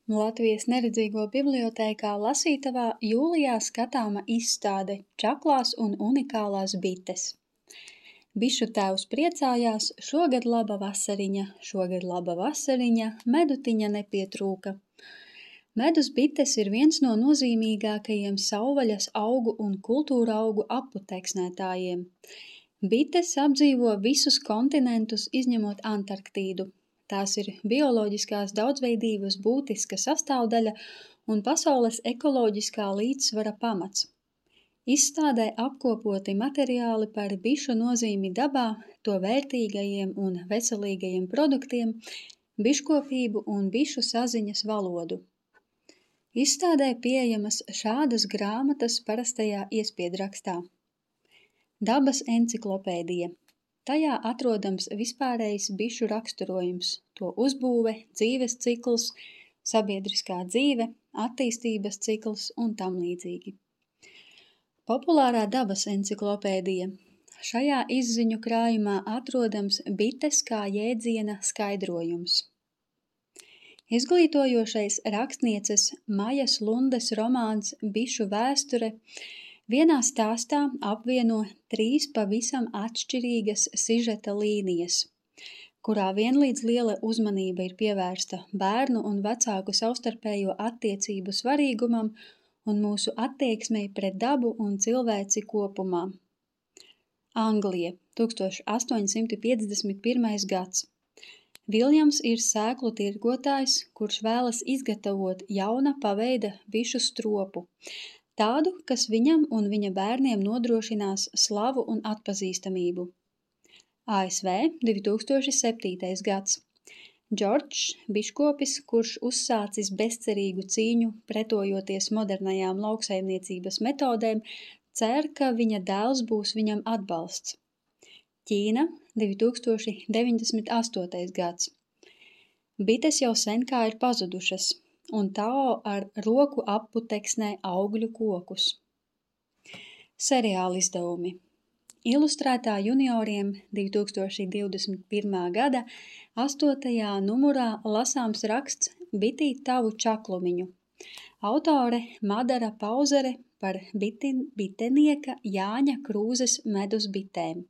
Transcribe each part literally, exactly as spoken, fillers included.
Latvijas neredzīgo bibliotēkā lasītavā jūlijā skatāma izstāde Čaklās un unikālās bites. Bišu tēvs priecājās, šogad laba vasariņa, šogad laba vasariņa, medutiņa nepietrūka. Medus bites ir viens no nozīmīgākajiem savvaļas augu un kultūra augu apputeksnētājiem. Bites apdzīvo visus kontinentus, izņemot Antarktīdu. Tās ir bioloģiskās daudzveidības būtiska sastāvdaļa un pasaules ekoloģiskā līdzsvara pamats. Izstādē apkopoti materiāli par bišu nozīmi dabā, to vērtīgajiem un veselīgajiem produktiem, biškopību un bišu saziņas valodu. Izstādē pieejamas šādas grāmatas parastajā iespiedrakstā. Dabas enciklopēdija. Tajā atrodams vispārējs bišu raksturojums, to uzbūve, dzīves cikls, sabiedriskā dzīve, attīstības cikls un tam līdzīgi. Populārā dabas enciklopēdija. Šajā izziņu krājumā atrodams bites kā jēdziena skaidrojums. Izglītojošais rakstnieces Majas Lundes romāns Bišu vēsture vienā stāstā apvieno trīs pavisam atšķirīgas sižeta līnijas, kurā vienlīdz liela uzmanība ir pievērsta bērnu un vecāku savstarpējo attiecību svarīgumam un mūsu attieksmei pret dabu un cilvēci kopumā. Anglija, tūkstoš astoņi simti piecdesmit pirmais gads. Viljams ir sēklu tirgotājs, kurš vēlas izgatavot jauna paveida bišu stropu, tādu, kas viņam un viņa bērniem nodrošinās slavu un atpazīstamību. A S V divi tūkstoši septītais gads. Džordžs, biškopis, kurš uzsācis bezcerīgu cīņu pretojoties modernajām lauksaimniecības metodēm, cer, ka viņa dēls būs viņam atbalsts. Ķīna, divi tūkstoši deviņdesmit astotais gads. Bites jau sen kā ir pazudušas, un Tao ar roku apputeksnē augļu kokus. Seriāli izdevumi. Ilustrētā junioriem divi tūkstoši divdesmit pirmā gada astotajā numurā lasāms raksts Bitīt tavu čaklumiņu. Autore Madara Pauzere par bitin, bitenieka Jāņa Krūzes medus bitēm.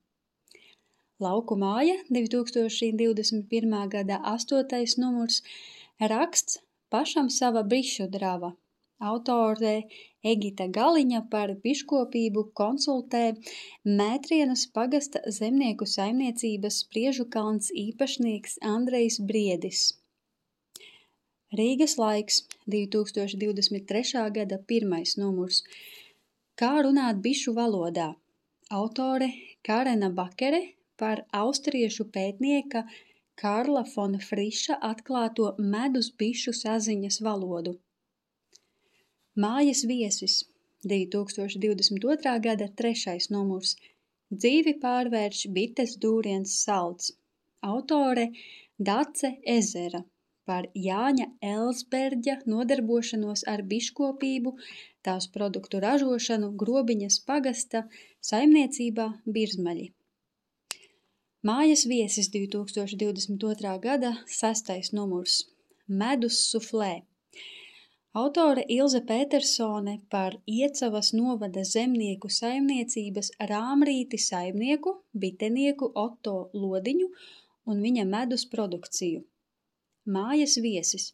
Lauku māja divi tūkstoši divdesmit pirmā gada astotais numurs raksts Pašam sava bišu drava. Autore Egita Galiņa par biškopību konsultē Mētrienas pagasta zemnieku saimniecības Spriežukalns īpašnieks Andrejs Briedis. Rīgas laiks, divi tūkstoši divdesmit trešā gada pirmais numurs. Kā runāt bišu valodā. Autore Karena Bakere par austriešu pētnieka Karla fon Friša atklāto medus bišu saziņas valodu. Mājas viesis, divi tūkstoši divdesmit otrā gada trešais numurs. Dzīvi pārvērš bites dūriens salds. Autore Dace Ezera par Jāņa Elsberģa nodarbošanos ar biškopību, tās produktu ražošanu Grobiņas pagasta saimniecībā Birzmaļi. Mājas viesis divi tūkstoši divdesmit otrā gada sestais numurs. Medus suflē. Autore Ilze Petersone par Iecavas novada zemnieku saimniecības Rāmrīti saimnieku, bitenieku Otto Lodiņu un viņa medus produkciju. Mājas viesis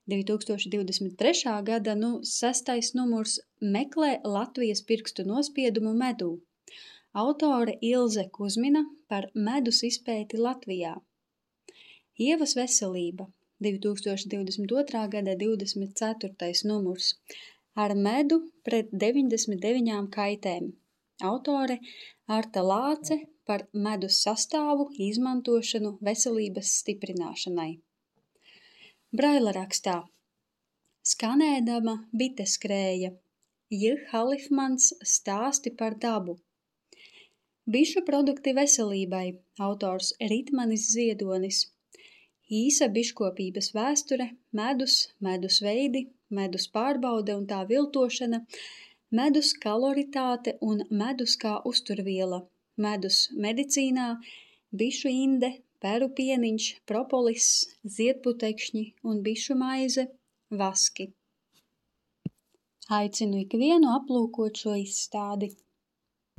divi tūkstoši divdesmit trešā gada nu, sestais numurs meklē Latvijas pirkstu nospiedumu medū. Autore Ilze Kuzmina par medus izpēti Latvijā. Ievas veselība, divi tūkstoši divdesmit otrā gada divdesmit ceturtais numurs. Ar medu pret deviņdesmit deviņām kaitēm. Autore Arta Lāce par medus sastāvu izmantošanu veselības stiprināšanai. Braila rakstā. Skanēdama bite skrēja. J. Halifmans stāsti par dabu. Bišu produkti veselībai, autors Ritmanis Ziedonis. Īsa biškopības vēsture, medus, medus veidi, medus pārbaude un tā viltošana, medus kaloritāte un medus kā uzturviela, medus medicīnā, bišu inde, peru pieniņš, propolis, ziedputekšņi un bišu maize, vaski. Aicinu ikvienu aplūkot šo izstādi.